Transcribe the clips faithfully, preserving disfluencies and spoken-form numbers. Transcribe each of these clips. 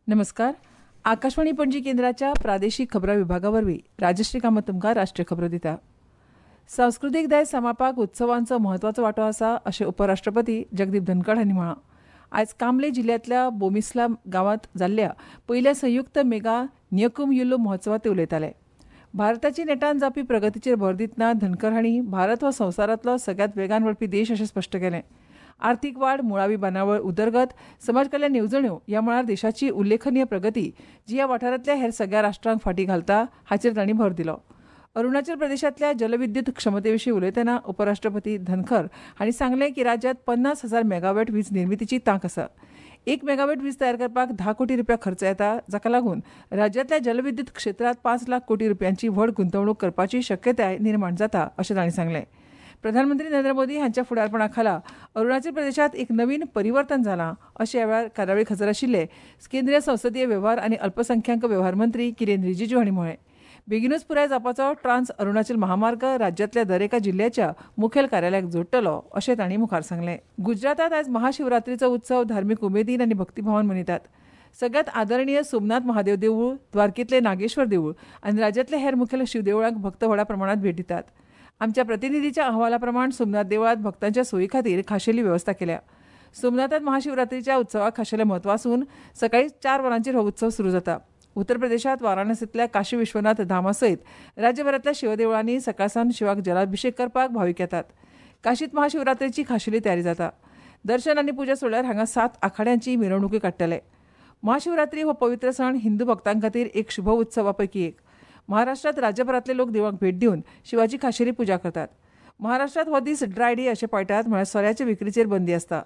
नमस्कार. आकाशवाणी पणजी केंद्राच्या प्रादेशीक खबरां विभागा वरवीं राजश्री कामत तुमकां राष्ट्रीय खबरो दिता. सांस्कृतीक दायज सांबाळपाक उत्सवांचो म्हत्वाचो वांटो आसा अशें उपराष्ट्रपती जगदीप धनखड हांणी म्हळां. आयज कामले जिल्ल्यांतल्या बोमिस्ला गांवांत जाल्ल्या पयल्या संयुक्त मेगा न्यकुम युल्लू महोत्सवांत ते उलयताले. भारताची नेटान जावपी प्रगतीचेर भर दितना धनखड हांणी भारत हो संवसारांतलो सगळ्यांत वेगान वाडपी देश अशें स्पश्ट केलें. आर्थिक वाड, मुळावी बांदावळ उदरगत, समाज कल्याण येवजण्यो ह्या मळार देशाची उल्लेखनीय प्रगती जी ह्या वाठारांतल्या हेर सगळ्या राष्ट्रांक फाटीं घालता हाचेर तांणी भर दिलो. अरुणाचल प्रदेशांतल्या जलविद्युत क्षमतेविशीं उलयतना उपराष्ट्रपती धनखर हांणी सांगलें की राज्यांत पन्नास हजार मेगावॅट वीज निर्मितीची तांक आसा. एक मेगावॅट वीज तयार करपाक धा कोटी रुपया खर्च येता, जाका लागून राज्यांतल्या जलविद्युत क्षेत्रांत पांच लाख कोटी रुपयांची व्हड गुंतवणूक करपाची शक्यताय निर्माण जाता अशें तांणी सांगलें. प्रधानमंत्री नरेंद्र मोदी हांच्या फुडारपणा खाला अरुणाचल प्रदेशांत एक नवीन परिवर्तन जालां अशें ह्या वेळार कार्यावळीक हजर आशिल्ले केंद्रीय संसदीय वेव्हार आनी अल्पसंख्याक वेव्हार मंत्री किरेन रिजिजू हांणी म्हळें. बेगीनूच पुराय जावपाचो ट्रान्स अरुणाचल महामार्ग राज्यांतल्या दरेका जिल्ल्याच्या मुखेल कार्यालयाक जोडटलो अशें तांणी मुखार सांगलें. गुजरातांत आयज महाशिवरात्रीचो उत्सव धार्मीक उमेदीन आनी भक्तिभावान मनयतात. सगळ्यांत आदरणीय सोमनाथ महादेव देवूळ, द्वारकेंतलें नागेश्वर देवूळ आनी राज्यांतल्या हेर मुखेल शिवदेवळांक भक्त व्हडा प्रमाणांत भेट दितात. आमच्या प्रतिनिधीच्या अहवाला प्रमाण सोमनाथ देवळांत भक्तांच्या सोयी खातीर खाशेली वेवस्था केल्या. सोमनाथांत महाशिवरात्रीच्या उत्सवाक खाशेलें म्हत्व आसून सकाळीं चार वरांचेर हो उत्सव सुरू जाता. उत्तर प्रदेशांत वाराणसींतल्या काशी विश्वनाथ धामा सयत राज्यभरांतल्या शिवदेवळांनी सकाळ सावन शिवाक जलाभिषेक करपाक भावीक येतात. काशींत महाशिवरात्रीची खाशेली तयारी जाता. दर्शन आनी पुजा सोडल्यार हांगा सात आखाड्यांची मिरवणुकी काडटले. महाशिवरात्री हो पवित्र सण हिंदू भक्तां खातीर एक शुभ उत्सवा पैकी एक. महाराष्ट्रांत राज्यभरांतले लोक देवळांक भेट दिवन शिवाची खाशेली पुजा करतात. महाराष्ट्रांत हो दीस ड्राय डे अशें पळटात, म्हळ्यार सोऱ्याचे विक्रीचेर बंदी आसता.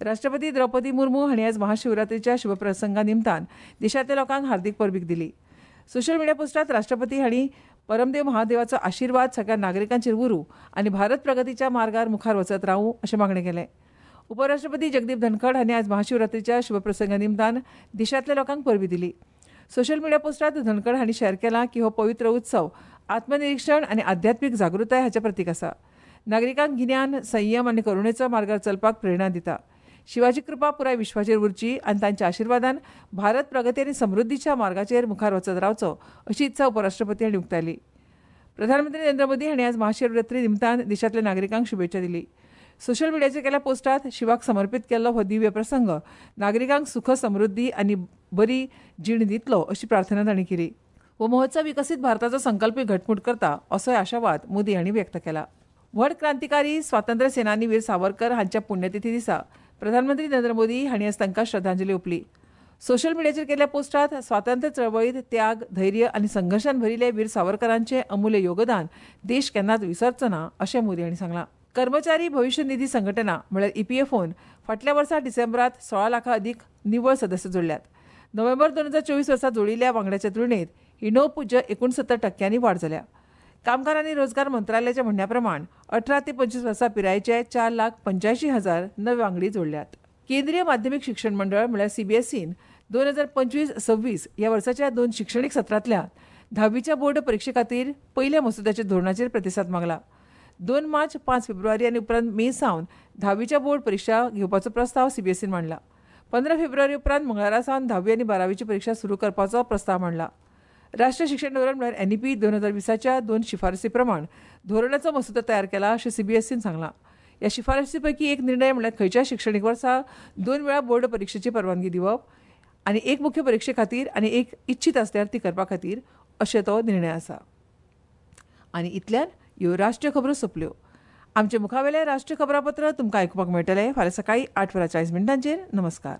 राष्ट्रपती द्रौपदी मुर्मू हांणी आयज महाशिवरात्रीच्या शुभप्रसंगा निमतान देशांतल्या लोकांक हार्दिक परबीक दिली. सोशल मिडिया पोस्टात राष्ट्रपती हांणी परमदेव महादेवाचो आशिर्वाद सगळ्या नागरिकांचेर उरूं आनी भारत प्रगतीच्या मार्गार मुखार वचत रावूं अशें मागणें केलें. उपराष्ट्रपती जगदीप धनखड हांणी आयज महाशिवरात्रीच्या शुभप्रसंगा निमतान देशांतल्या लोकांक परबी दिली. सोशल मिडिया पोस्टात धनखड हांणी शेअर केला की हो पवित्र उत्सव आत्मनिरीक्षण आनी आध्यात्मीक जागृताय हाचें प्रतीक आसा. नागरिकांक गिन्यान, संयम आनी करुणेचो मार्गार चलपाक प्रेरणा दिता. शिवाची कृपा पुराय विश्वाचेर उरची आनी तांच्या आशिर्वादान भारत प्रगती आनी समृद्धीच्या मार्गाचेर मुखार वचत रावचो अशी इत्सा उपराष्ट्रपती हांणी उक्तायली. प्रधानमंत्री नरेंद्र मोदी हांणी आज महाशिवरात्री निमतान देशांतल्या नागरिकांक शुभेच्छा दिली. सोशल मिडियाचेर केल्या पोस्टात शिवाक समर्पित केल्लो हो दिव्य प्रसंग नागरिकांक सुख, समृद्धी आनी बरी जीण दितलो अशी प्रार्थना तांणी केली. हो महोत्सव विकसीत भारताचो संकल्पय घटमूट करता असोय आशावाद मोदी हांणी व्यक्त केला. व्हड क्रांतिकारी स्वातंत्र्य सेनानी वीर सावरकर हांच्या पुण्यतिथी दिसा प्रधानमंत्री नरेंद्र मोदी हांणी आज तांकां श्रद्धांजली ओंपली. सोशल मिडियाचेर केल्ल्या पोस्टात स्वातंत्र्य चळवळीत त्याग, धैर्य आनी संघर्शान भरिल्ले वीर सावरकरांचें अमूल्य योगदान देश केन्नाच विसरचो ना अशें मोदी हांणी सांगलां. कर्मचारी भविश्य निधी संघटना म्हळ्यार ईपीएफओन फाटल्या वर्सा डिसेंबरात सोळा लाखां अदीक निव्वळ सदस्य जोडल्यात. नोव्हेंबर दोन हजार चोवीस वर्सा जोडिल्ल्या वांगड्याच्या तुलनेत ही णव पूज्य एकुणसत्तर टक्क्यांनी वाड जाल्या. कामगार आनी रोजगार मंत्रालयाच्या म्हणण्या प्रमाण अठरा ते पंचवीस वर्सां पिरायेचे चार लाख पंच्यायशीं हजार नवे वांगडी जोडल्यात. केंद्रीय माध्यमीक शिक्षण मंडळ म्हळ्यार सीबीएसईन दोन हजार पंचवीस सव्वीस ह्या वर्साच्या दोन शिक्षणीक सत्रांतल्या धावीच्या बोर्ड परिक्षे खातीर पयल्या मसुद्याच्या धोरणाचेर प्रतिसाद मागला. दोन मार्च, पांच फेब्रुवारी आनी उपरांत मे सावन धावीच्या बोर्ड परिक्षा घेवपाचो प्रस्ताव सीबीएसईन मांडला. पंदरा फेब्रुवारी उपरांत मंगळारा सावन धावी आनी बारावीची परिक्षा सुरू करपाचो प्रस्ताव मांडला. राष्ट्रीय शिक्षण धोरण म्हळ्यार एनईपी दोन हजार वीसाच्या दोन शिफारसी प्रमाण धोरणाचो मसुदो तयार केला अशें सीबीएसईन सांगलां. ह्या शिफारसी पैकी एक निर्णय म्हळ्यार खंयच्याय शिक्षणीक वर्सा दोन वेळा बोर्ड परिक्षेची परवानगी दिवप आनी एक मुख्य परिक्षे खातीर आनी एक इच्छीत आसल्यार ती करपा खातीर अशें तो निर्णय आसा. आनी इतल्यान ह्यो राष्ट्रीय खबरो सोंपल्यो. आमचे मुखावेलें राष्ट्रीय खबरापत्र तुमकां आयकुपाक मेळटलें फाल्यां सकाळीं आठ वरां चाळीस मिनटांचेर. नमस्कार.